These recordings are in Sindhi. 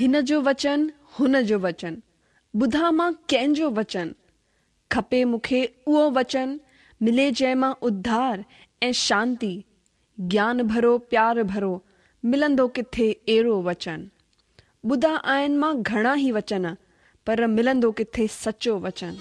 هن جو وچن، هن جو وچن، ٻڌان مان ڪنهن جو وچن؟ کپي مون کي اهو وچن، ملي جنهن مان اڌار ۽ شانتي، گيان ڀرو پيار ڀرو، ملندو ڪٿي اهڙو وچن؟ ٻڌا آهن مان گهڻا ئي وچن، پر ملندو ڪٿي سچو وچن؟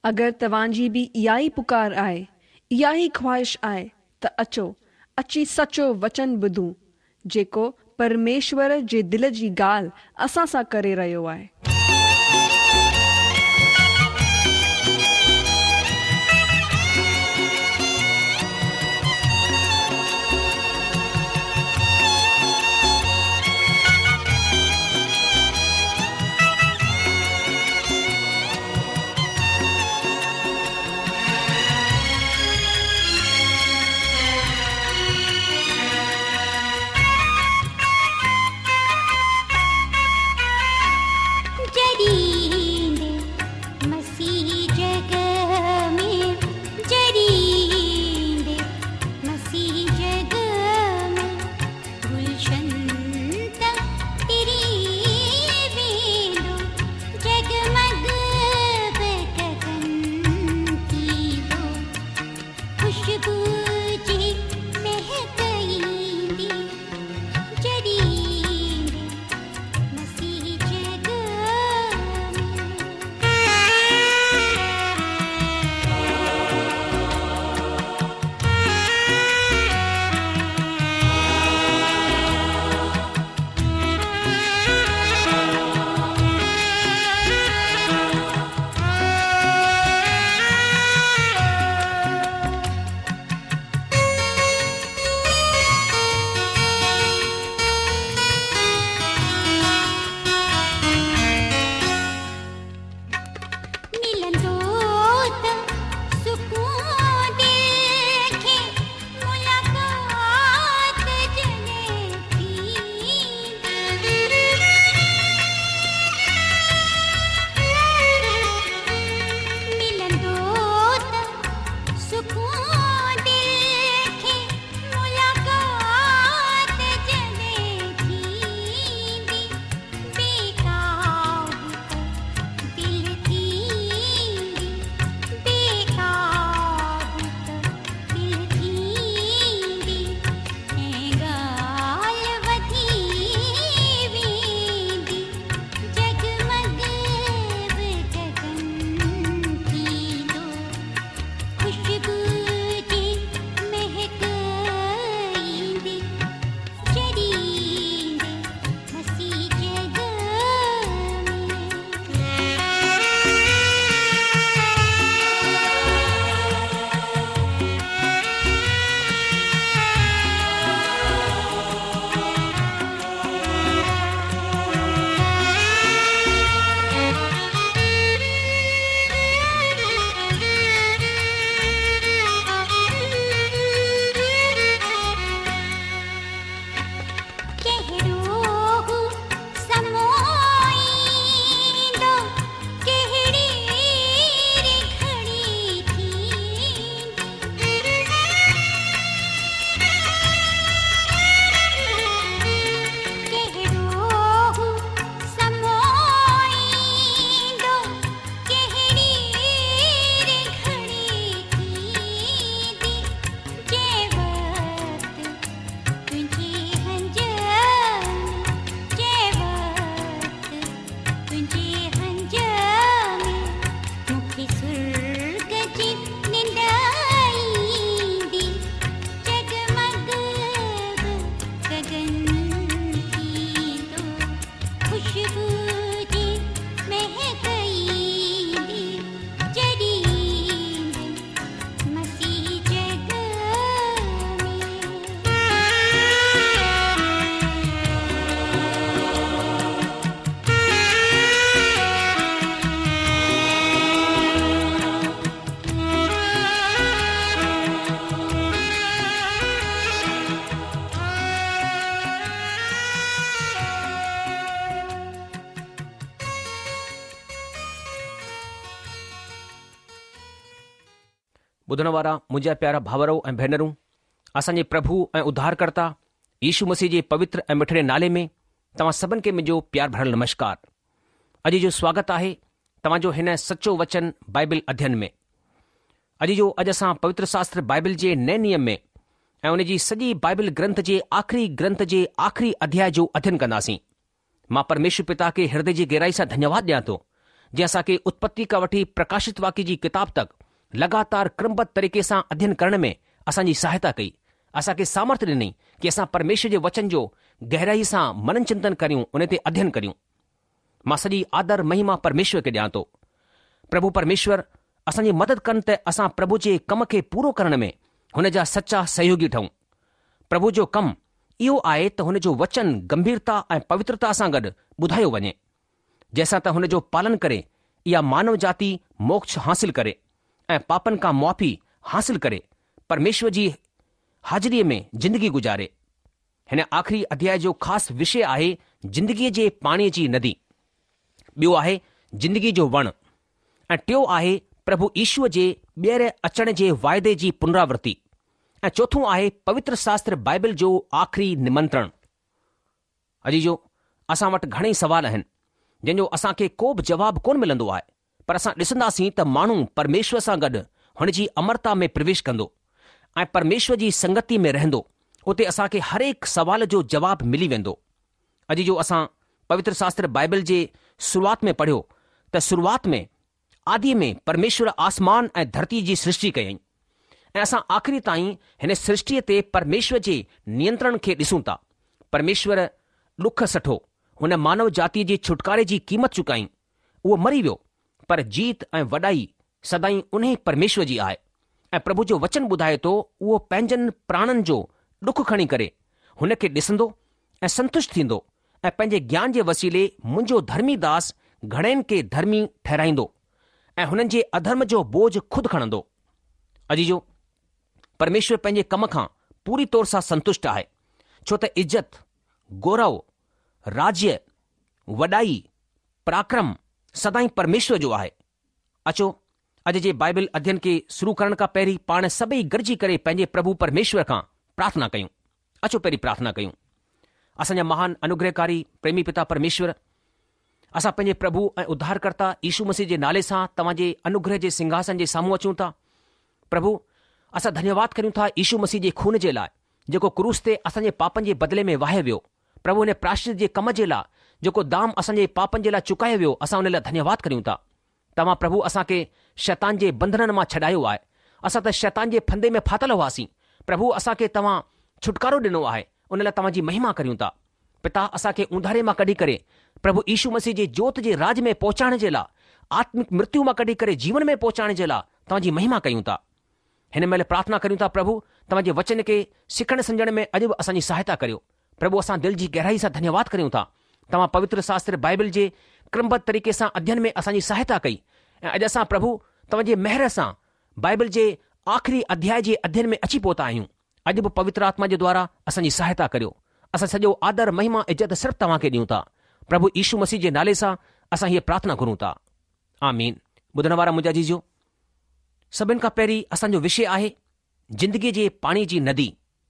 اگر توهان جي به اها ئي پڪار آهي، اها ئي خواهش آهي ته اچو، اچي سچو وچن ٻڌون، جيڪو پرميشور جي دل جي ڳالهه اسان سان ڪري رهيو آهي. ٻڌڻ وارا منهنجا پيارا ڀائرو ۽ ڀينرون، اسان جي پرڀو ۽ اڌارڪرتا يشو مسيح جي پوتر ۽ مٺڙي نالي ۾ توهان سڀن کي منهنجو پيار ڀريل نمشڪار. اڄ جو سواگت آهي توهان جو هن سچو وچن بائبل اڌين ۾. اڄ جو اڄ اسان پوتر شاستر بائبل جي نئين نيم ۾ ۽ ان جي سڄي بائبل گرنٿ جي آخري گرنٿ جي آخري اڌياء جو اڌين ڪنداسين. مان پرميشور پتا کي هردي جي گهرائي سان ڌنيواد ڏيان ٿو، جنهن اسان کي اتپتي کان وٺي پرڪاشت واڪيه جي ڪتاب تڪ لڳاتار ڪرمبڌ طريقي سان اڌين ڪرڻ ۾ اسان جي سهائتا ڪئي، اسان کي سامرٿ ڏني ڪي اسان پرميشور جي وچن جو گهرائي سان منن چنتن ڪريون، ان تي اڌين ڪريون. مان سڄي آدر مهما پرميشور کي ڏيان ٿو. پرڀو پرميشور اسان جي مدد ڪن ته اسان پرڀو جي ڪم کي پورو ڪرڻ ۾ هن جا سچا سهيوگي ٺهون. پرڀو جو ڪم اهو آهي ته هن جو وچن گنڀيرتا ۽ پوترتا سان گڏ ٻڌايو وڃي، جنهن سان ته هن جو پالن ڪري اها مانو جاتي موڪش حاصل ڪري ۽ پاپن کان معافي حاصل ڪري پرميشور جي حاضريء ۾ زندگي گذاري. هن آخري اڌياء جو خاص وشي آهي زندگيء جي پاڻيء جي ندي. ٻيو آهي زندگيء جو وڻ ۽ ٽيو آهي پرڀو يشوء جي ٻيهر اچڻ جي واعدي جي پنراورتي. ۽ چوٿون آهي پوتر شاستر بائبل جو آخري نمنترڻ. عزيزو، اسان وٽ گهڻئي سوال آهن، جنهن جو اسان کي ڪو به جواب ڪونه ملندو آهي، پر اسان ڏسنداسين ته ماڻهو پرميشور سان گڏ هن جي امرتا ۾ پرويش ڪندو ۽ پرميشور جي سنگتي ۾ رهندو، اتي اسان کي هرهڪ سوال جو جواب ملي ويندو. عزيزو، اسان پوتر شاستر بائبل جي شروعات ۾ پڙهيو ته شروعات ۾ آديء ۾ پرميشور آسمان ۽ ڌرتيء جي سرشٽي ڪيائين ۽ اسان آخري تائين هن سرشٽيء تي پرميشور جي نينترڻ کي ڏسون ٿا. پرميشور ڏک سٺو، هن مانو جاتيء جي ڇوٽڪاري جي قيمت چڪائين. اهو مري ويو، پر جيت ۽ وڏائي سدائين انهي پرميشور جي آهي ۽ پرڀو جو وچن ٻڌائي ٿو اهو پنهنجن پراڻن جو ڏک کڻي ڪري هن کي ڏسندو ۽ سنتشٽ ٿيندو ۽ پنهنجي گيان جي وسيلي منهنجو ڌرمي داس گهڻين کي ڌرمي ٺهرائيندو ۽ هنن جي اڌرم جو بوجه خود کڻندو. عزيزو! پرميشور پنهنجي ڪم کان پوري طور سان سنتشٽ آهي، ڇو ته عزت، گورو، راجيه، وڏائي، پراڪرم سدائين پرميشور جو آهي. اچو، اڄ جي بائبل اڌين کي شروع ڪرڻ کان پهرين پاڻ سڀئي گڏجي ڪري پنهنجي پرڀو پرميشور کان پرارٿنا ڪيون. اچو پهرين پرارٿنا ڪيون. اسان جا مهان انوگرهڪاري پريمي پتا پرميشور، اسان پنهنجي پرڀو ۽ اڌارڪرتا يشو مسيح جي نالي سان توهان جي انوگرهه جي سنگهاسن جي سامهون اچون ٿا. پرڀو، اسان ڌنيواد ڪريون ٿا يشو مسيح جي خون جي لاء، جيڪو ڪروس تي اسان جي پاپن جي بدلي ۾ واهيو ويو. پرڀو هن پراشچت جي ڪم جي لاء، جيڪو دام اسان جي پاپن جي لاء چڪايو ويو، اسان ان لاء ڌنيواد ڪريون ٿا. توهان پرڀو اسان کي شيطان جي بنڌنن مان ڇڏايو آهي. اسان ته شيطان جي ڦندي ۾ ڦاٿل هئاسين. پرڀو اسان کي توهان ڇوٽڪارو ڏنو آهي، ان لاء توهان جي مهما ڪريون ٿا. پتا اسان کي اونڌاري مان ڪڍي ڪري پرڀو يشو مسيح جي جوت جي راڄ ۾ پهچائڻ جي لاء، آتمڪ مرتيو مان ڪڍي ڪري جيون ۾ پهچائڻ جي لاء توهان جي مهما ڪيون ٿا. هن مهل پرارٿنا ڪريون ٿا پرڀو توهان جي وچن کي سکڻ سمجهڻ ۾ اڄ به اسان جي سهائتا ڪريو. پرڀو اسان دل جي گهرائي سان ڌنيواد ڪريون ٿا توهان پوتر شاستر بائبل جي ڪرمبڌ طريقي سان اڌين ۾ اسان جي سهائتا ڪئي ۽ اڄ اسان پرڀو توهان جي مهر سان بائبل جي آخري اڌياء جي اڌين ۾ اچي پهتا آهيون اڄ به پوتر آتما جي دوارا اسان جي سهائتا ڪريو اسان سڄو آدر مهما عزت صرف توهان کي ڏيون ٿا پرڀو يشو مسيح جي نالي سان اسان هيء پرارٿنا گهرون ٿا آمين ٻڌڻ وارا منهنجا عزيزو سڀن کان پهرين اسان جو وشي آهي زندگيء جي پاڻي جي ندي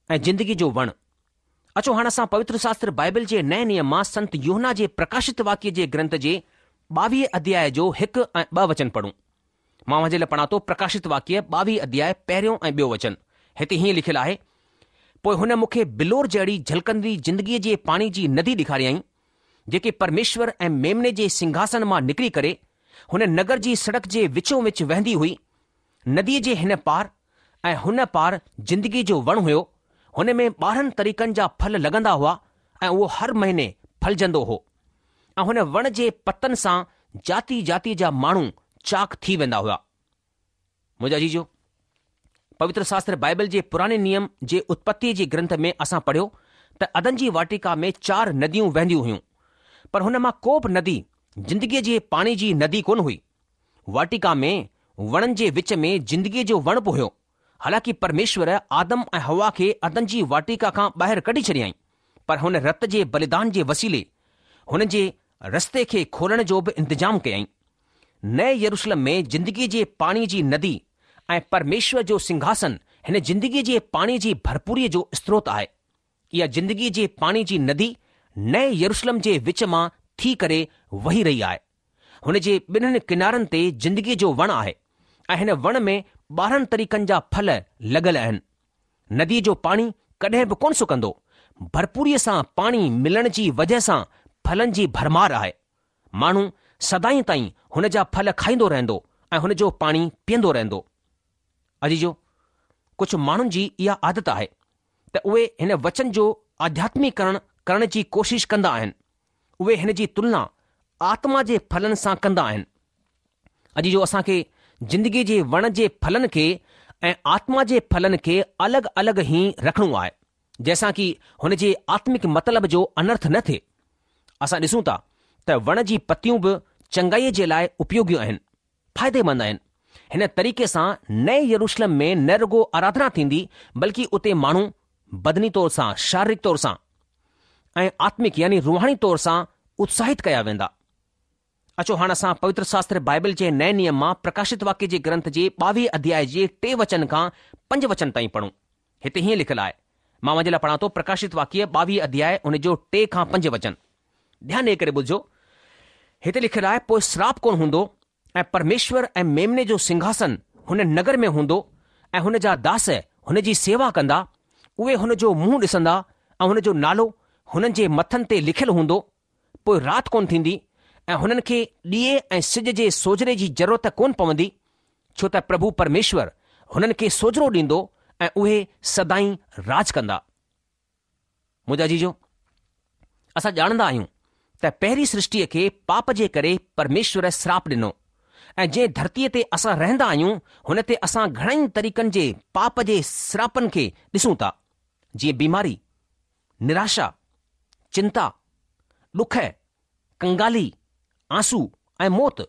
۽ زندگيء جو وڻ. اچو هاڻ اسان پوتر شاستر بائبل جي نئين نيم مان سنت يوحنا جي پرڪاشت واڪيه جي گرنٿ جي ٻاويهه اڌياء جو هڪ ۽ ٻه وچن پڙهون. مان اوهان جي لاء پڙهان ٿو پرڪاشت واڪيه ٻاويهه اڌياء پهريون ۽ ٻيو وچن. هتي هيئن لکيل آهي، پوء هن مون کي بلور جهڙي جهلڪندي زندگيء جي پاڻي جي ندي ڏيکاريائين، جيڪي پرميشور ۽ ميمني جي سنگهاسن مان نڪري ڪري هن نگر جي سڙڪ جي وچون وچ وهندي هئي. نديء جي هن پار ۽ هن پار زندگيء جو وڻ هيو. هن ۾ 12 طريقن جا ڦل لڳندا هئا ۽ اهو هر مهيني ڦلجندو هو ۽ هن وڻ جي پتن سان جاتي جاتي جا ماڻهو چاڪ ٿي ويندا هئا. منهنجا عزيزو، پوتر شاستر بائبل جي پراڻي نيم جي اتپتيء جي گرنٿ ۾ اسان پڙهيو ته عدن جي واٽيڪا ۾ چار نديون وهنديون هيون، پر هن مان ڪو به ندي زندگيء جي پاڻي جي ندي ڪونه هئي. واٽيڪا ۾ وڻن جي وچ ۾ زندگيء جو وڻ به هيو. حالانڪه پرميشور آدم ۽ حوا کي عدن جي واٽيڪا کان ٻاهر ڪڍي ڇڏيائين، پر هن رت جي بليدان جي وسيلي هن جي رستي کي کولڻ جو به انتظام ڪيائين. نئين يروشلم ۾ زندگيء جي پاڻي جي ندي ۽ پرميشور جو سنگهاسن هن زندگيء جي پاڻيء جي ڀرپوريء جو استروت آهي. اها زندگيء جي پاڻي جي ندي نئين يروشلم جي وچ مان ٿي ڪري وهي رهي آهي. هن جي ٻنهن ڪنارن تي زندگيء جو وڻ آهي ۽ هن وڻ ۾ 12 طريقن جا ڦل لڳل آهن. نديء جو پاڻي ڪڏهن به ڪونه سڪندو. ڀرپوريء سان پاڻي ملڻ جي وجهه سان ڦلن جي ڀرمار آهي. ماڻهو سدائين تائين هن جا ڦل کائيندو رهندو ۽ هن جو پاڻي پيئندو رهندو. عزيزو! ڪجهه ماڻهن جي اها عادت آهي ته اهي هن وچن جو آڌياتميڪرڻ ڪرڻ جي ڪوشش ڪندا آهن. اهي هن جي تلنا آتما جي ڦلن سان ڪندا آهن. عزيزو اسان کي زندگيء جي وڻ جي ڦلن کي ۽ آتما جي ڦلن کي الڳ الڳ ئي رکڻو آهي، جنهن سان ڪي هن جي آتمڪ مطلب جو انرٿ نه ٿئي. اسان ڏسون ٿا ته وڻ جي پتيون به چنگائيء جي لاء اپيوگي آهن، فائديمند آهن. هن طريقي سان نئين يروشلم ۾ نه رڳو آراڌنا ٿيندي بلڪه اتي ماڻهو بدني طور سان، شاريرڪ طور سان ۽ آتمڪ يعني روحاني طور سان اتساهت ڪيا ويندا. اچو هاڻ اسان پوتر شاستر بائبل جي نئين نيم مان پرڪاشت واڪيه جي گرنٿ جي ٻاويهه اڌياء جي ٽي وچن کان پنج وچن تائين پڙهون. هتي هيئن لکيل آهي. مان اوهان جي لاء پڙهان ٿو پرڪاشت واڪيه ٻاويهه اڌياء ان جو ٽي کان پنج وچن. ڌيان ڏئي ڪري ٻڌجو. هتي لکيل آهي پوء سراپ ڪونه هوندو ۽ پرميشور ۽ ميمني جو سنگهاسن هن نگر ۾ هوندو ۽ هن جا داس هن جي سيوا ڪندا، اهي هن جو منهن ڏسندا ۽ هن جو نالو هنن جي مٿن تي لکيل هوندو، پوء رات ڪونه ٿيندي ۽ هنن کي ڏيئي ۽ سج جي سوجهري جي ضرورت ڪونه پوندي، ڇو ته پرڀو پرميشور هنن کي سوجهرو ڏيندو ۽ اهي سدائين راڄ ڪندا. منهنجا عزيزو! اسان ڄاڻندا آهيون ته پهرين سرشٽيء کي پاپ جي ڪري پرميشور سراپ ڏنو ۽ جنهن ڌرتيء تي اسان رهندا آهيون هن تي اسان گهڻائي طريقن جي پاپ جي سراپن کي ڏسون ٿا جيئن بيماري، نراشا، چنتا، ڏک، ڪنگالي، آنسو ۽ موت.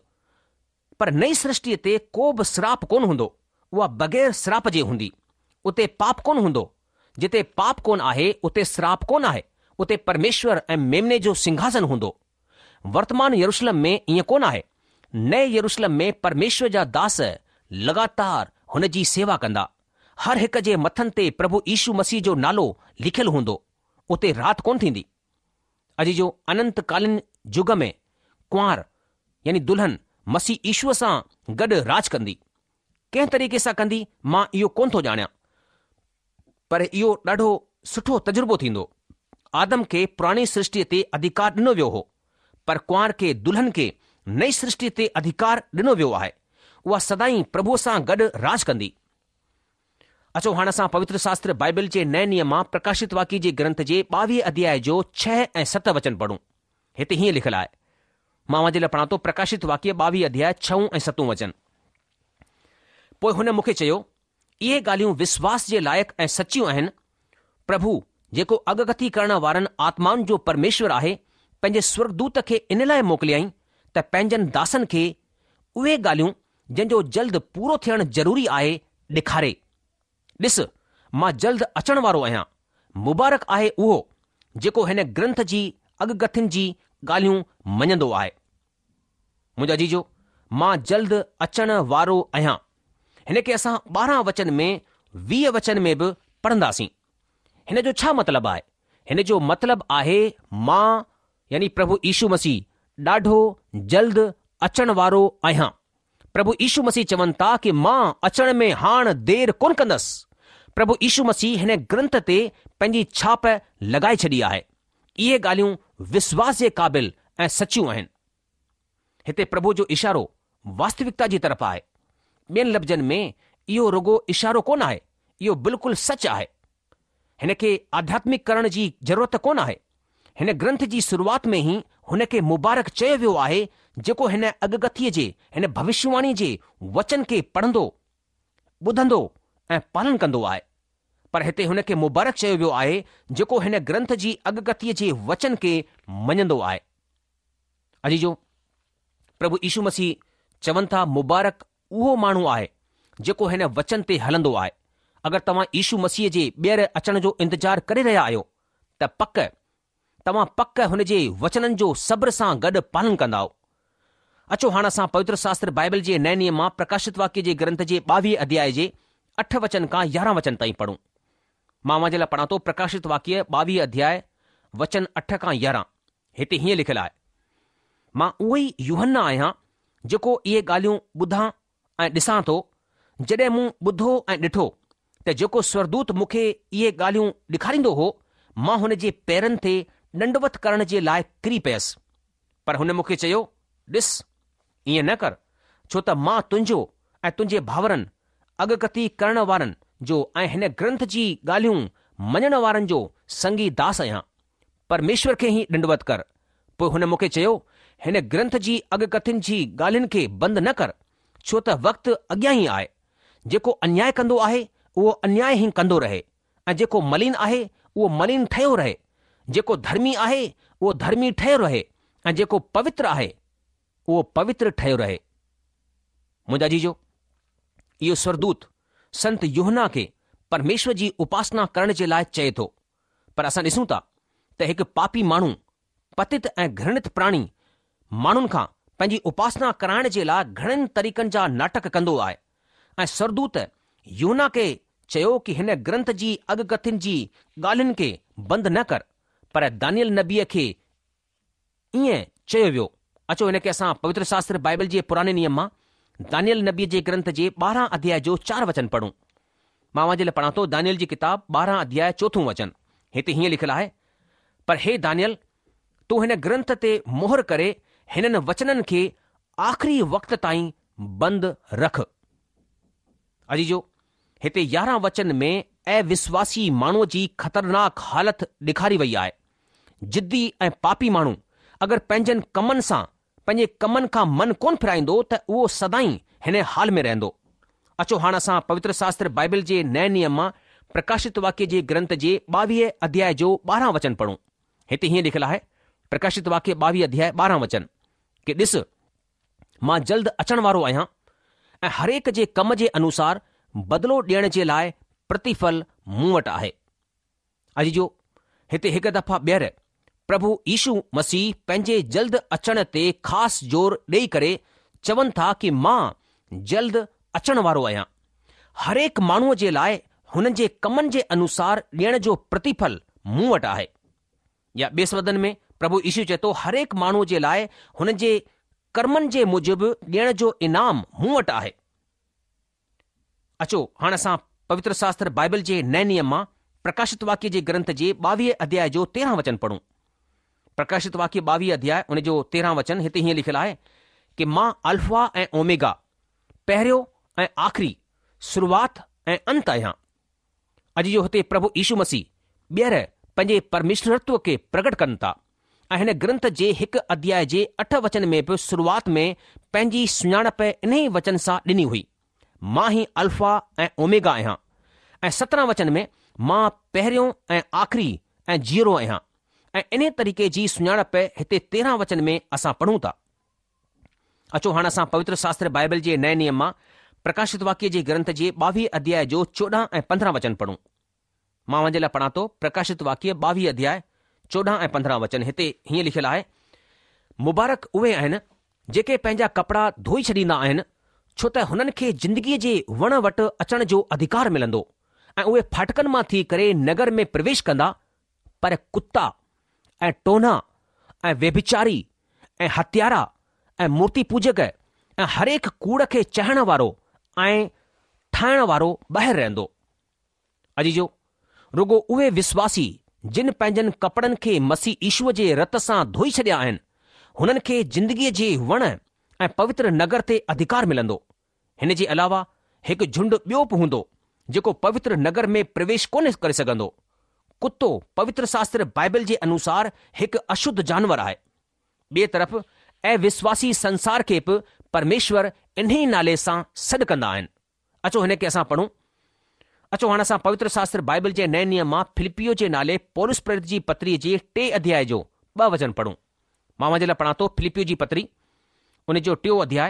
پر نئين سرشٽيء تي ڪو به سراپ ڪونه هوندو، اها بغير سراپ جي هوندي. اتي پاپ ڪونه هوندو. جتي پاپ ڪونه آهي، اتي سراپ ڪونه آهي. اتي پرميشور ۽ ميمني جو سنگهاسن هوندو. ورتمان يروشلم ۾ ائين ڪونه آهي. نئين يروشلم ۾ پرميشور جا داس لڳاتار هن جي سيوا ڪندا. هر هڪ جي مٿن تي پرڀو يشو مسيح جو نالو لکيل هوندو. اتي رات ڪونه ٿيندي. عزيزو اننت ڪالين يگ ۾ ڪنوار يعني دلهن مسيح يشوء سان گڏ راڄ ڪندي. ڪنهن طريقي سان ڪندي مان اهو ڪونه ٿو ڄاڻيان پر اهو ڏاڍو سٺو تجربو ٿيندو. آدم کي پراڻي سرشٽيء تي اڌيڪار ڏنو ويو هو پر ڪنوار کي دلهن کي نئين سرشٽيء تي اڌيڪار ڏنو ويو آهي. اها سدائين پرڀوء سان گڏ راڄ ڪندي. اچو هاڻ اسان پوتر شاستر بائيبل جي نئين نيم مان پرڪاشت واڪيه جي گرنٿ جي ٻاويهه اڌياء جو ڇهه ۽ ست وچن پڙهون. هتي هيئن لکيل آهي. مان اوهان جي لاء پڙهان ٿو پرڪاشت واڪيه ٻاويهه اڌياء ڇهون ۽ ستون وچن. پوء هن مون کي چيو، اهي ڳالهيون وشواس جي لائق ۽ سچيون آهن، پرڀو، جيڪو اڳڪٿي ڪرڻ وارن آتمائن جو پرميشور آهي، پنهنجي سورڳدوت کي ان لاء موڪليائين ته پنهنجن داسن کي اهي ڳالهيون جن جو جلد پورو ٿيڻ ضروري آهي، ڏيکاري. ڏس، مان جلد اچڻ وارو آهيان. مبارڪ آهي اهو، جيڪو هن گرنٿ جي اڳڪٿين جي ڳالهيون مڃندو آهي. منهنجا عزيزو، مان جلد اچڻ وارو آهيان. هن کي اسان 12 وچن ۾ 20 وچن ۾ به پڙهنداسين. هن جو ڇا مطلب آهي؟ هن جو مطلب آهي مان يعني پرڀو يشو مسيح ڏاڍو جلد اچڻ وارو آهيان. پرڀو يشو مسيح چون ٿا ڪي مان اچڻ ۾ هاڻ دير ڪونه ڪندس. پرڀو يشو مسيح هن گرنٿ تي پنهنجي ڇاپ لڳائي ڇڏي آهي. اهي ڳالهيون وشواس جي قابل ۽ سچيون آهن. هتي پرڀو جو اشارو واستوڪتا جي طرف آهي. ٻين لفظن ۾ اهو رڳو اشارو ڪونه آهي، اهو بلڪل سچ آهي. هن کي آڌياتمڪ ڪرڻ جي ضرورت ڪونه آهي. هن گرنٿ جي شروعات ۾ ئي هن کي مبارڪ چيو ويو آهي جيڪو هن اڳڪٿيء جي، هن ڀوشيواڻيء جي وچن کي پڙهندو، ٻڌندو ۽ پالن ڪندو آهي. پر هتي هن کي مبارڪ چيو ويو آهي جيڪو هن گرنٿ جي اڳڪٿيء جي وچن کي مڃندو آهي. عزيزو! پرڀو يشو مسيح چون ٿا مبارڪ اهو ماڻهو آهي جيڪو هن وچن تي هلندو آهي. اگر توهان يشو مسيح جي ٻيهر اچڻ جو انتظار ڪري رهيا آهيو ته پڪ توهان پڪ هن جي وچنن جو صبر سان گڏ پالن ڪندائو. اچو هاڻ اسان پوتر شاستر بائبل جي نئين نيم مان پرڪاشت واڪيه جي گرنٿ جي ٻاويهه اڌياء جي اٺ وچن کان يارهن وچن تائين پڙهون. مان اوهان جي لاء پڙهان ٿو پرڪاشت واڪيه ٻاويهه اڌياء وچن اٺ کان يارهن. هتي هيئن لکيل آهي، مان اهو ئي يوحنا آهيان جيڪو اهي ڳالهيون ٻڌان ۽ ڏسان ٿو، جڏهن مون ٻڌو ۽ ڏٺو ته جيڪو سورگدوت مون کي اهي ڳالهيون ڏيکاريندو هو، مان هن جي پيرن تي ڏنڊوت ڪرڻ جي لاء ڪري پيس. پر هن مون کي چيو، ڏس، ائين نه ڪر، ڇو ته مان تنهنجو ۽ تنهنجي ڀائرن، اڳڪٿي ڪرڻ وارن جو ۽ هن گرنٿ جي ڳالهيون مڃڻ وارن جو سنگي داس آهيان. پرميشور کي ئي ڏنڊوت ڪر. پوء هن مون کي چيو، هن گرنٿ جي اڳڪٿين جي ڳالهين کي بند نه ڪر، ڇو ته وقت اڳيان ئي آهي. جيڪو انياء ڪندو آهي، اهو انياء ئي ڪندو رهي ۽ جيڪو ملين آهي، اهو ملين ٺهيو رهي. جيڪو ڌرمي آهي، اهو ڌرمي ٺهيو رهي ۽ جيڪو پوتر آهي، اهو پوتر ٺهيو رهي. منهنجا عزيزو، اهو سورگدوت سنت يوحنا کي پرميشور جي اپاسنا ڪرڻ جي لاء چئي ٿو. پر اسان ڏسون ٿا ته هڪ پاپي ماڻهو، پتت ۽ گهرڻت پراڻي ماڻهن کان پنهنجي اپاسنا ڪرائڻ جي لاء گهڻن طريقن جا ناٽڪ ڪندو آهي ۽ سورگدوت يوحنا کي چيو ڪي هن گرنٿ جي اڳڪٿين جي ڳالهين کي بند نه ڪر پر دانيل نبيء کي ائين چيو ويو. اچو هن کي اسان پوتر شاستر بائبل جي پراڻي نيم مان دانيل نبيء جي گرنٿ جي ٻارهن اڌياء جو چار وچن پڙهون. مان اوهان جي لاء پڙهان ٿو دانيل جي ڪتاب ٻارهن اڌياء چوٿون وچن. هتي هيئن لکيل آهي، پر هي دانيل، تون هن گرنٿ تي مهر ڪري هنن وچنن کي آخري وقت تائين بند رک. عزيزو! هتي يارهن وچن ۾ اوشواسي ماڻهوء جي خطرناڪ حالت ڏيکاري وئي آهي. ضدي ۽ پاپي ماڻهو اگر پنهنجن ڪمن سان پنهنجي ڪمن کان من ڪونه ڦيرائيندو ته اهو سدائين هن حال ۾ رهندو. اچو هاڻ اسان پوتر شاستر بائبل جي نئين نيم مان پرڪاشت واڪيه جي گرنٿ جي ٻاويهه اڌياء جو ٻارهن وچن پڙهون. هتي هيئن لکيل آهي، پرڪاشت واڪيه ٻاويهه اڌياء ٻارهن وچن، ڪي ڏس، مان جلد اچڻ وارو آهيان ۽ هرهڪ جي ڪم جي انوسار بدلو ڏيڻ جي لاء پرتيڦل مون وٽ آهي. عزيزو! هتي هڪ دفعا ٻيهر پرڀو يشو مسيح پنهنجي جلد اچڻ تي خاص زور ڏيئي ڪري چون ٿا ڪي مان جلد اچڻ وارو آهيان. هرهڪ ماڻهوء جي لاء هنن جي ڪمن جي انوسار ڏيڻ جو پرتيڦل مون وٽ آهي. يا ٻئي شبدن ۾ پرڀو يشو چئي ٿو هرهڪ ماڻهوء جي لاء هن جي ڪرمن جي موجب ڏيڻ جو انعام مون وٽ آهي. اچو هاڻ اسان پوتر شاستر بائبل جي نئين نيم مان پرڪاشت واڪيه جي گرنٿ جي ٻاويهه اڌياء جو تيرهن وچن پڙهون. پرڪاشت واڪيه ٻاويهه اڌياء ان جو تيرهن وچن هتي هيئن لکيل آهي ڪي مان الفا ۽ اوميگا، پهريون ۽ آخري، شروعات ۽ انت آهيان. عزيزو هتي پرڀو يشو مسيح ٻيهر پنهنجي پرميشورتو کي پرگٽ ڪن ٿا ۽ هن گرنٿ جي هڪ اڌياء جي اٺ وچن ۾ به شروعات ۾ پنهنجي سڃاڻپ انهي وچن سان ڏني هئي، مان ئي الفا ۽ اوميگا آهيان ۽ 17 وچن ۾ مان پهريون ۽ آخري ۽ جيئرو آهيان ۽ انهي طريقي جي سڃاڻپ هتي 13 وچن ۾ اسان پڙهون ٿا. اچو هاڻ اسان پوتر شاستر بائبل جي نئين نيم مان پرڪاشت واڪيه جي گرنٿ جي ٻاويهه اڌياء جو 14 ۽ 15 وچن پڙهون. مان اوهان جي لاء پڙهان ٿو پرڪاشت واڪيه ٻاويهه اڌياء 14 ۽ 15 وچن هتي هيئن لکيل آهي، مبارڪ اهي آهن جيڪي پنهنجا ڪپڙا ڌوئي ڇڏيندا آهن ڇو ته هنن کي زندگيء جي وڻ وٽ اچڻ جو اڌڪار ملندو ۽ اهي ڦاٽڪن مان ٿي ڪري نگر ۾ پرويش ڪندا پر ڪتا ۽ ٽونا ۽ ويڀچاري ۽ هتيارا ۽ مورتي پوجڪ ۽ هرهڪ ڪوڙ کي چاهڻ وارو ۽ ٺاهڻ وارو ٻاهر رهندو. عزيزو! رڳو اهي وشواسي جن پنهنجن ڪپڙن کي مسيح يشوء جي رت سان ڌوئي ڇڏيا آهن، هنن کي زندگيء جي وڻ ۽ پوتر نگر تي اڌڪار ملندو. هن جي علاوه هڪ جهنڊ ٻيو به هوندو، جيڪو پوتر نگر ۾ پرويش ڪونه ڪري سگهندو. ڪتو پوتر شاستر بائبل جي انوسار هڪ اشڌ جانور آهي. ٻئي طرف اوشواسي سنسار کي به پرميشور انهي نالي سان سڏ ڪندا آهن. اچو هن کي اسان پڙهون. اچو هاڻ اسان پوتر شاستر بائبل جي نئين نيم مان فلپيو جي نالي پولس پريرت جي پتري جي ٽي اڌياء جو ٻه وچن پڙهون. مان اوهان جي لاء پڙهان ٿو فلپيو جي پتري ان جو ٽيون اڌياء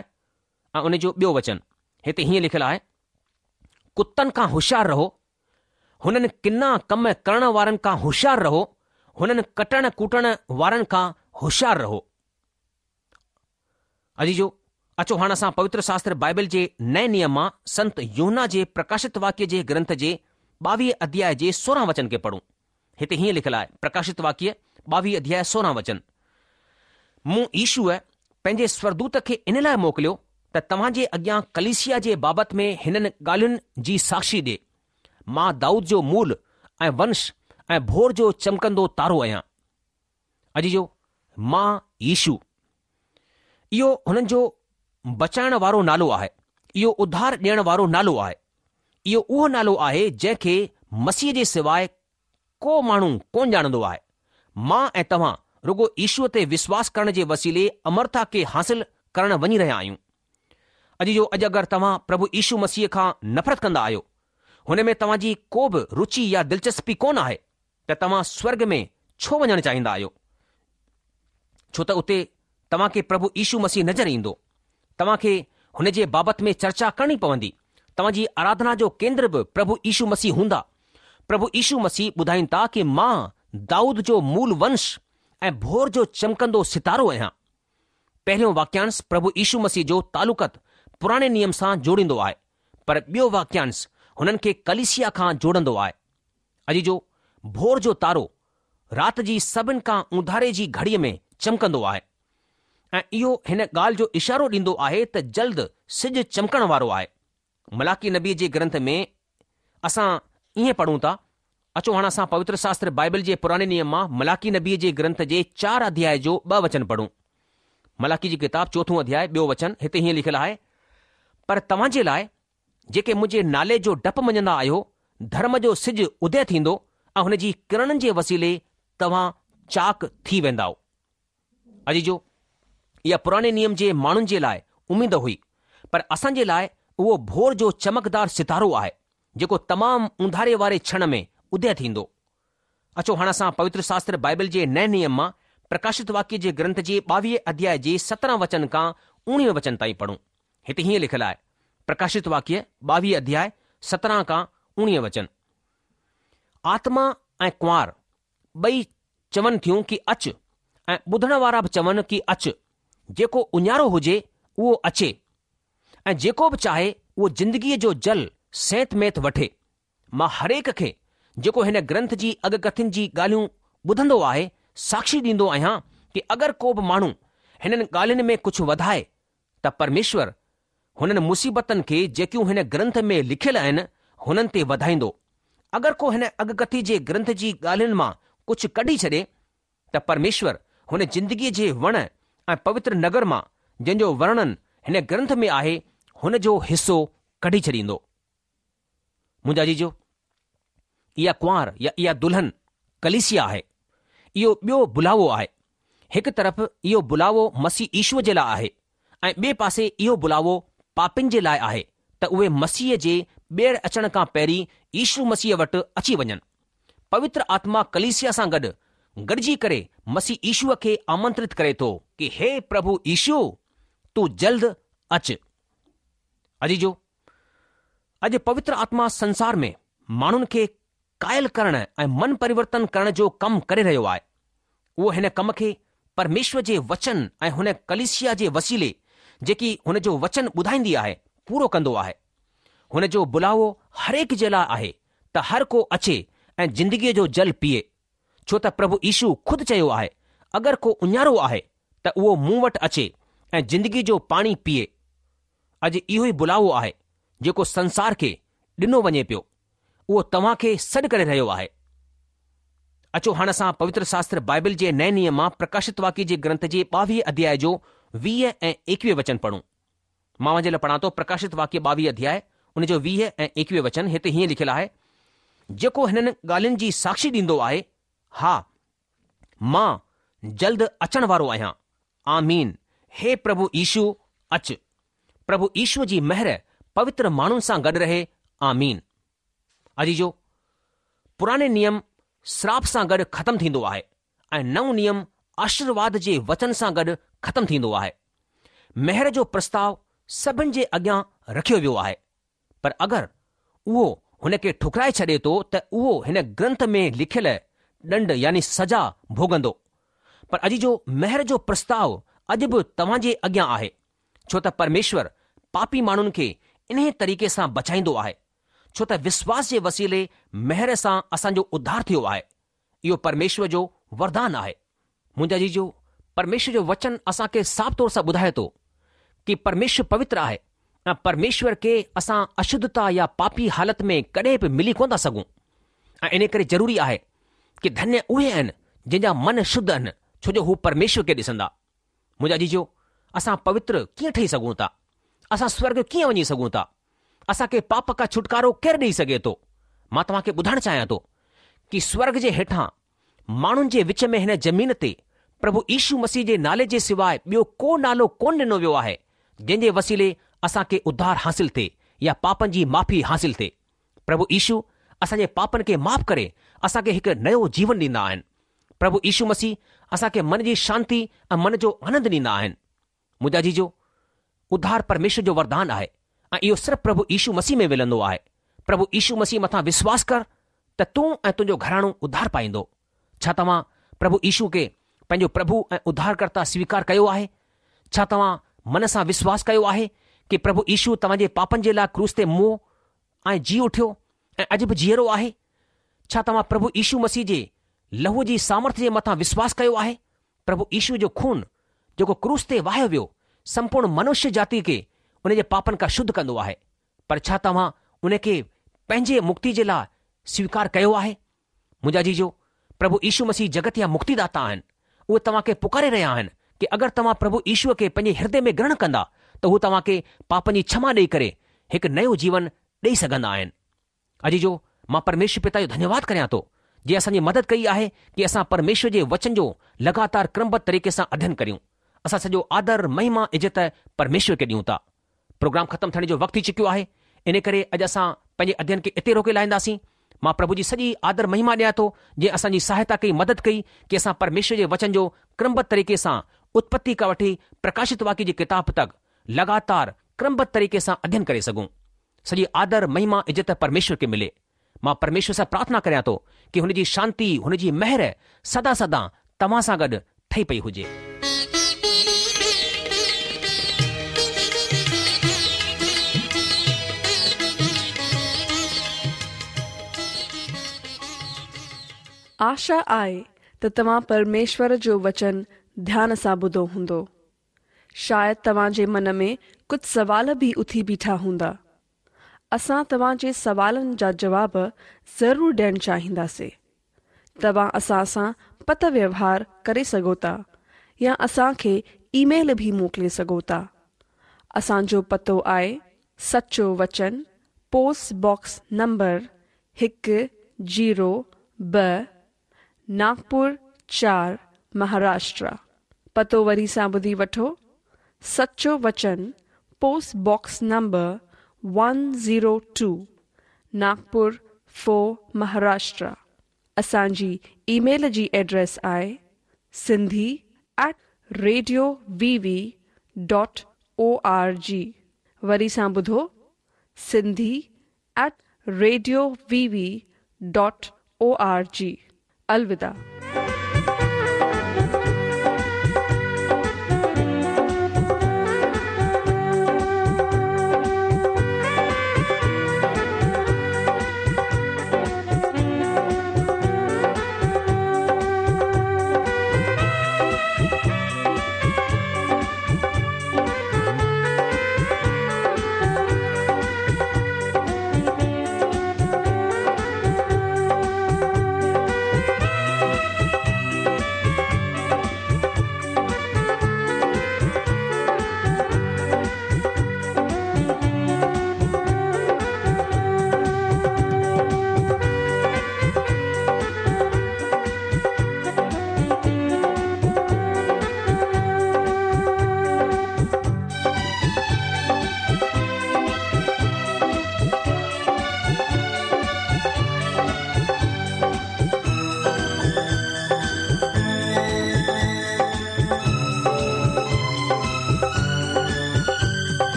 ۽ ان جو ٻيو وچن هتي هيئن لکيل آهي، ڪتن کان هوشيار رهو، هنن ڪنا ڪم ڪرڻ وارن کان هوشيار رهو، هنن ڪٽڻ ڪوٽڻ وارن کان هوشيار رهو. عزيزو، اچو هاڻ اسان پوتر شاستر بائبل جي نئين نيم مان سنت يوحنا جي پرڪاشت واڪيه جي گرنٿ جي ٻاويهه اڌياء جي سورهن وچن کي پڙهون. هتي هيئن لکيل آهي، پرڪاشت واڪيه ٻاويهه اڌياء سورهن وچن، مون يشوع پنهنجي سورگدوت کي ان لاء موڪليو ته توهان جي اڳيان ڪليسيا جي بابت ۾ هنن ڳالهين جي ساکشي ڏئي. مان دائود جو مول ۽ ونش ۽ ڀور جو چمڪندو تارو آهيان. عزيزو، مان يشوع. اهو هنن جو بچائڻ وارو نالو آهي. اهو اڌار ڏيڻ وارو نالو آهي. اهو اهو نالو آهي جنهن کي مسيح جي سواء ڪو ماڻهو ڪونه ڄاڻندو آهي. مان ۽ توهان رڳو يشوع تي وشواس ڪرڻ جي وسيلي امرتا کي حاصل ڪرڻ وڃي رهيا آهيون. عزيزو اڄ اگر توهان پرڀو يشو مسيح کان نفرت ڪندا آهيو، هن ۾ توهان جي ڪو به رچي يا دلچسپي ڪونه آهي ته توهان سورڳ ۾ ڇو وڃڻ چاهيندا آهيو؟ ڇو ته اتي توهان کي پرڀو يشو مسيح نظر ايندو. توهان کي هن جي بابت ۾ چرچا ڪرڻي پوندي. توهان جي آراڌنا جو ڪيندر به پرڀو يشو مسيح هوندا. پرڀو يشو مسيح ٻڌائين ٿا ڪي مان دائود جو مول ونش ۽ ڀور جو چمڪندو ستارو آهيان. پهريون واڪيانش پرڀو يشو مسيح جو تعلقت پراڻي نيم سان جوڙيندو آهي، پر ٻيو واڪيانش هنن کي ڪليسيا کان جوڙندو آهي. عزيزو، ڀور جو تارو رات جي سڀن کان اونڌاري جي گهڙيء ۾ چمڪندو آهي ۽ اهو هن ڳالهه جو اشارو ڏيندو آهي ته جلد سج چمڪڻ وارو آهي. ملاڪي نبيء جي گرنٿ ۾ اسان ائين پڙهون ٿا، اچو هاڻ اسان پوتر شاستر بائبل جي پراڻي نيم مان ملاڪي نبيء جي گرنٿ جي چار اڌياء جو ٻه وچن پڙهون. ملاڪي جي ڪتاب چوٿون اڌياء ٻيو وچن هتي هيئن لکيل آهي، پر توهان جي لاء جيڪي منهنجي نالي جو ڊپ مڃندا آهيو، ڌرم جو سج ادي ٿيندو ۽ هن جي ڪرڻن جي وسيلي توهان چاڪ ٿي ويندائو. عزيزو! اها پراڻي نيم جي ماڻهن جي لاء اميد هئي، پر اسان جي لاء اهو ڀور جو چمڪدار ستارو آهي، جيڪو تمام اونڌاري واري ڇڻ ۾ ادي ٿيندو. اچو هاڻ اسان پوتر شاستر بائبل جي نئين نيم مان پرڪاشت واڪيه جي گرنٿ جي ٻاويهه اڌياء جي 17 وچن کان اوڻيهه وچن تائين پڙهون. هتي هيئن لکيل آهي، پرڪاشت واڪيه ٻاويهه اڌياء 17 کان اوڻيهه وچن. آتما ۽ ڪنوار ٻئي چون ٿيون ڪي اچ ۽ ٻڌڻ وارا به چون ڪي اچ، جيڪو اڃارو هجي اهو اچي ۽ جيڪو به چاهي اهو زندگيء جو جل سينت ميت وٺي. مان هرهڪ کي جيڪو هن گرنٿ جي اڳڪٿين جي ڳالهيون ٻڌندو آهي ساکشي ڏيندو آهيان ڪي اگر ڪو به ماڻهو هنن ڳالهين ۾ ڪجهه وڌائي ته پرميشور هنن مصيبتن کي جيڪيون هن گرنٿ ۾ لکيل آهن، هنن تي وڌائيندو. اگر ڪو هن اڳڪٿي جي گرنٿ جي ڳالهين مان ڪجهه ڪڍي ڇڏي، ته پرميشور هن زندگيء جي وڻ ۽ پوتر نگر مان، جنهن جو ورڻن هن گرنٿ ۾ آهي، هن جو حصو ڪڍي ڇڏيندو. منهنجا عزيزو، اها ڪنوار يا اها دلهن ڪليسيا آهي. اهو ٻيو بلاوو آهي. هڪ طرف اهو بلاوو مسيح يشوء جي لاء آهي ۽ ٻئي پاسي اهو بلاوو پاپين جي لاء آهي ته اهي مسيح جي ٻيهر اچڻ کان پهرين يشو مسيح وٽ اچي وڃن. پوتر آتما ڪليسيا سان گڏ گڏجي ڪري مسيح يشوء کي آمنترت ڪري ٿو ڪي هي پرڀو يشو تون جلد اچ. عزيزو! اڄ پوتر آتما سنسار ۾ ماڻهن کي قائل ڪرڻ ۽ من پريورتن ڪرڻ جو ڪم ڪري رهيو آهي. اهو هن ڪم کي پرميشور جي وچن ۽ هن ڪليسيا جي وسيلي جيڪي هن جو وچن ٻڌائيندي آهي، پورو ڪندو آهي. هن جو بلاوو هرهڪ جي لاء آهي ته هر ڪو اچي ۽ زندگيء جو جل پيئي. ڇو ته پرڀو يشو خود چيو آهي، اگر ڪو اڃارو آهي ته اهو مون وٽ اچي ۽ زندگيء جو پاڻي پيئي. اڄ اهو ئي بلاوو آهي جيڪو سنسار کي ڏنو وڃي پيو. اهو توهان کي سڏ ڪري رهيو آهي. اچو هاڻ اسان پوتر شاستر بائبل جي نئين نيم مان پرڪاشت واڪيه جي گرنٿ جي ٻاويهه اڌياء جو 20 ۽ 21 وچن پڙهون. مان اوهان جي لاء پڙهان ٿو پرڪاشت واڪيه ٻاويهه اڌياء ان جو 20 ۽ 21 وچن هتي هيئن لکيل آهي، جيڪو هنن ڳالهين جي ساکشي ڏيندو آهي، ها، مان جلد اچڻ وارو آهيان. آمين، هي پرڀو يشو، اچ. پرڀو يشوء جي مهر پوتر ماڻهن سان گڏ رهي. آمين. عزيزو، پراڻي نيم سراپ سان گڏ ختم ٿيندو آهي ۽ نئون نيم آشيرواد جي وچن سان گڏ ختم ٿيندو آهي. مهر جو پرستاو سڀن جي اڳيان رکيو ويو آهي. پر اگر اهو هن کي ٺڪرائي ڇڏي ٿو ته اهو هن گرنٿ ۾ لکيل ڏنڊ يعني سزا ڀوڳندو. پر عزيزو مهر جو پرستاو اڄ به توهان جي اڳيان آهي. ڇو ته پرميشور پاپي ماڻهن کي انهيء طريقي سان بچائيندو آهي، ڇو ته وسواس جي وسيلي مهر سان اسان جو اڌار ٿيو آهي. اهو پرميشور جو وردان آهي. منهنجا عزيزو، پرميشور جو وچن اسان کي صاف طور سان ٻڌائي ٿو ڪي پرميشور پوتر آهي ۽ پرميشور کي اسان اشڌتا يا پاپي حالت ۾ ڪڏهن به ملي ڪونه ٿا سگهون ۽ انهي ڪري ضروري آهي ڪي ڌنيه اهي آهن جن جا من شڌ آهن ڇو جو هو پرميشور کي ڏسندا. منهنجا عزيزو، اسان پوتر ڪيئن ٺهي سگهون ٿا؟ اسان سورڳ ڪيئن وڃي سگهون ٿا؟ اسان کي پاپ کان ڇوٽڪارو ڪير ڏئي سگهي ٿو؟ مان توهان کي ٻڌائڻ چاهيان ٿو ڪي سورڳ جي هيٺان ماڻهن جي وچ ۾ هن زمين تي پرڀو يشو مسيح جي نالي جي سواء ٻيو ڪو نالو ڪونه ڏنو ويو آهي جنهن جي وسيلي اسان کي اڌار حاصل ٿئي يا پاپن جي معافي حاصل ٿئي. پرڀو يشو اسان جي پاپن کي معاف ڪري اسان کي هڪ نيو جيون ڏيندا آهن. پرڀو يشو مسيح اسان کي من جي شانتي ۽ من جو آنند ڏيندا آهن. منهنجا عزيزو، اڌار پرميشور جو وردان آهي ۽ اهو صرف پرڀو يشو مسيح ۾ ملندو آهي. پرڀو يشو مسيح مٿان وشواس ڪر ته تون ۽ تنهنجو گهراڻو اڌار پائيندو. ڇا توهان پرڀو يشو کي پنهنجو پرڀو ۽ اڌارڪرتا سويڪار ڪيو آهي؟ ڇا توهان من سان وشواس ڪيو آهي ڪي پرڀو يشو توهان جي پاپن جي لاء ڪروس تي مئو ۽ جي اٺيو ۽ اڄ به جيئرو آهي؟ ڇا توهان پرڀو يشو مسيح جي لهوء جي سامرٿ جي مٿان وشواس ڪيو آهي؟ پرڀو يشو جو خون جيڪو ڪروس تي واهيو ويو، سمپورڻ منشيه جاتي کي ان جي پاپن کان شڌ ڪندو آهي. پر ڇا توهان ان کي پنهنجي مڪتي جي لاء سويڪار ڪيو آهي؟ منهنجا عزيزو، پرڀو يشو مسيح جڳت جا مڪتي داتا آهن. اهي توهان کي پڪاري رهيا آهن ڪي اگر توهان پرڀو يشوء کي پنهنجي هردي ۾ گرهڻ ڪندا ته هو توهان کي پاپن جي ڇما ڏئي ڪري هڪ نيو جيون ڏئي سگهندا آهن. عزيزو، مان پرميشور پتا جو ڌنيواد ڪريان ٿو، جنهن اسان جي مدد ڪئي آهي ڪي اسان پرميشور جي وچن جو لڳاتار ڪرمبڌ طريقي سان اڌين ڪريون. اسان سڄو آدر، مهما، عزت پرميشور کي ڏيون ٿا. پروگرام ختم ٿيڻ جو وقت ٿي چڪيو آهي، ان ڪري اڄ اسان پنهنجي اڌين کي اتي روڪي لاهينداسين. مان پرڀو جي سڄي آدر مهما ڏيان ٿو، جنهن اسان جي سهائتا ڪئي، مدد ڪئي ڪي اسان پرميشور جي وچن جو ڪرمبڌ طريقي سان اتپتي کان وٺي پرڪاشت واڪيه جي ڪتاب تڪ لڳاتار ڪرمبڌ طريقي سان اڌين ڪري سگهون. سڄي آدر، مهما، عزت پرميشور کي ملي. مان پرميشور سان پرارٿنا ڪريان ٿو ڪي هن جي شانتي، هن جي مهر سدا سدا توهان سان گڏ ٺهي پئي هجي. آشا آهي ته توهان پرميشور جو وچن ڌيان سان ٻڌو هوندو. شايد توهان جي من ۾ ڪجهه سوال به اٿي بيٺا هوندا. اسان توهان جي سوالن جا جواب ضرور ڏيڻ چاهينداسين. توهان اسان سان پتر ويوهار ڪري سگهو ٿا يا اسان کي اي ميل به موڪلي سگهو ٿا. اسان جو پتو آهي سچو وچن پوسٽ باڪس نمبر هڪ زيرو ٻه ناگپور چار مهاراشٽرا. پتو وري سان ٻڌي وٺو، سچو وچن post box number one zero two Nagpur four Maharashtra. اسان جي اي ميل جي ايڊريس آهي Sindhi at radio V V dot O R جي. وري سان ٻڌو Sindhi at radio V V dot O R جي. الوداع.